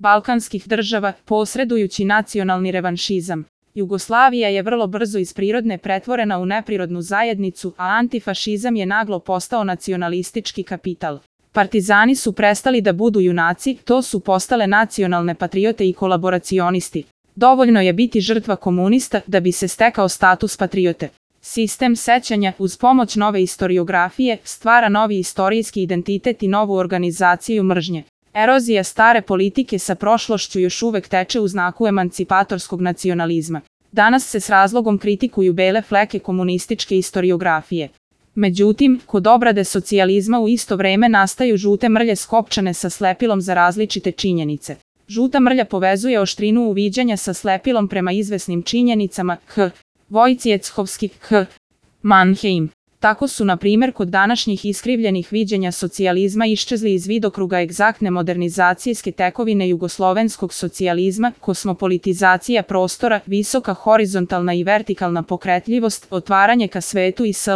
balkanskih država, posredujući nacionalni revanšizam. Jugoslavija je vrlo brzo iz prirodne pretvorena u neprirodnu zajednicu, a antifašizam je naglo postao nacionalistički kapital. Partizani su prestali da budu junaci, to su postale nacionalne patriote i kolaboracionisti. Dovoljno je biti žrtva komunista da bi se stekao status patriote. Sistem sećanja, uz pomoć nove istoriografije, stvara novi istorijski identitet i novu organizaciju mržnje. Erozija stare politike sa prošlošću još uvek teče u znaku emancipatorskog nacionalizma. Danas se s razlogom kritikuju bele fleke komunističke istoriografije. Međutim, kod obrade socijalizma u isto vreme nastaju žute mrlje skopčane sa slepilom za različite činjenice. Žuta mrlja povezuje oštrinu uviđanja sa slepilom prema izvesnim činjenicama Vojciechovski, Mannheim. Tako su, na primjer, kod današnjih iskrivljenih viđenja socijalizma iščezli iz vidokruga egzaktne modernizacijske tekovine jugoslovenskog socijalizma, kosmopolitizacija prostora, visoka horizontalna i vertikalna pokretljivost, otvaranje ka svetu i sl.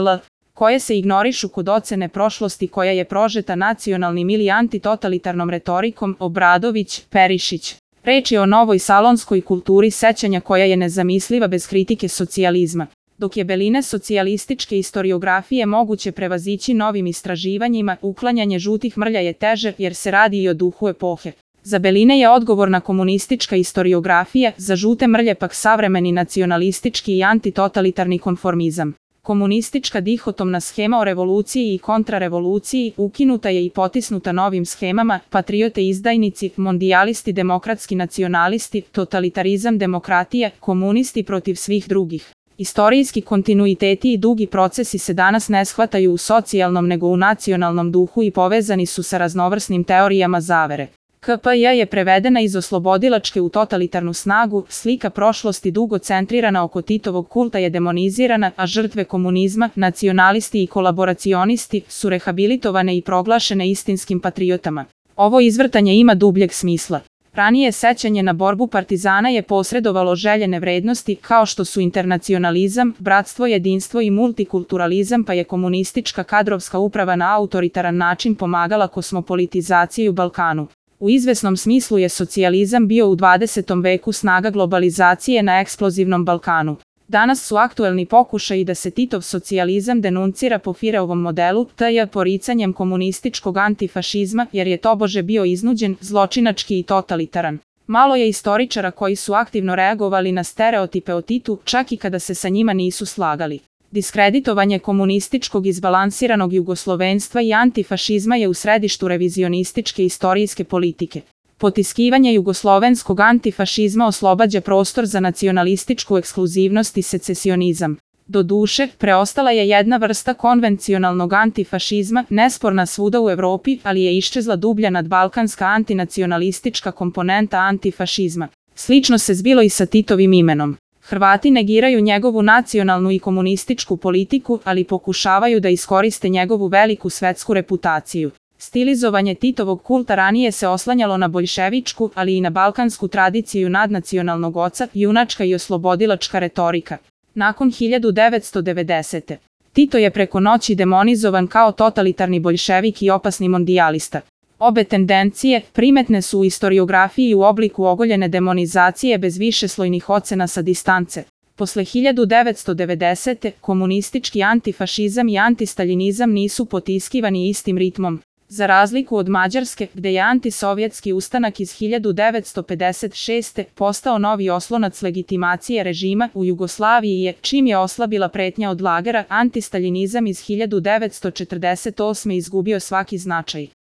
koje se ignorišu kod ocene prošlosti koja je prožeta nacionalnim ili antitotalitarnom retorikom. Obradović, Perišić. Reč je o novoj salonskoj kulturi sećanja koja je nezamisliva bez kritike socijalizma. Dok je beline socijalističke istoriografije moguće prevazići novim istraživanjima, uklanjanje žutih mrlja je teže jer se radi i o duhu epohe. Za beline je odgovorna komunistička istoriografija, za žute mrlje pak savremeni nacionalistički i antitotalitarni konformizam. Komunistička dihotomna schema o revoluciji i kontrarevoluciji ukinuta je i potisnuta novim schemama, patriote izdajnici, mondijalisti demokratski nacionalisti, totalitarizam demokratija, komunisti protiv svih drugih. Istorijski kontinuiteti i dugi procesi se danas ne shvataju u socijalnom nego u nacionalnom duhu i povezani su sa raznovrsnim teorijama zavere. KPJ je prevedena iz oslobodilačke u totalitarnu snagu, slika prošlosti dugo centrirana oko Titovog kulta je demonizirana, a žrtve komunizma, nacionalisti i kolaboracionisti, su rehabilitovane i proglašene istinskim patriotama. Ovo izvrtanje ima dubljeg smisla. Ranije sećanje na borbu partizana je posredovalo željene vrednosti kao što su internacionalizam, bratstvo, jedinstvo i multikulturalizam, pa je komunistička kadrovska uprava na autoritaran način pomagala kosmopolitizaciji u Balkanu. U izvesnom smislu je socijalizam bio u 20. veku snaga globalizacije na eksplozivnom Balkanu. Danas su aktuelni pokušaji da se Titov socijalizam denuncira po Fireovom modelu, t.j. poricanjem komunističkog antifašizma, jer je tobože bio iznuđen, zločinački i totalitaran. Malo je istoričara koji su aktivno reagovali na stereotipe o Titu, čak i kada se sa njima nisu slagali. Diskreditovanje komunističkog izbalansiranog jugoslovenstva i antifašizma je u središtu revizionističke istorijske politike. Potiskivanje jugoslovenskog antifašizma oslobađa prostor za nacionalističku ekskluzivnost i secesionizam. Doduše, preostala je jedna vrsta konvencionalnog antifašizma, nesporna svuda u Evropi, ali je iščezla dublja nadbalkanska antinacionalistička komponenta antifašizma. Slično se zbilo i sa Titovim imenom. Hrvati negiraju njegovu nacionalnu i komunističku politiku, ali pokušavaju da iskoriste njegovu veliku svetsku reputaciju. Stilizovanje Titovog kulta ranije se oslanjalo na boljševičku, ali i na balkansku tradiciju nadnacionalnog oca, junačka i oslobodilačka retorika. Nakon 1990. Tito je preko noći demonizovan kao totalitarni boljševik i opasni mondijalista. Obe tendencije primetne su u istoriografiji u obliku ogoljene demonizacije bez višeslojnih ocena sa distance. Posle 1990. komunistički antifašizam i antistaljinizam nisu potiskivani istim ritmom. Za razliku od Mađarske, gde je antisovjetski ustanak iz 1956. postao novi oslonac legitimacije režima, u Jugoslaviji je, čim je oslabila pretnja od lagera, antistaljinizam iz 1948. izgubio svaki značaj.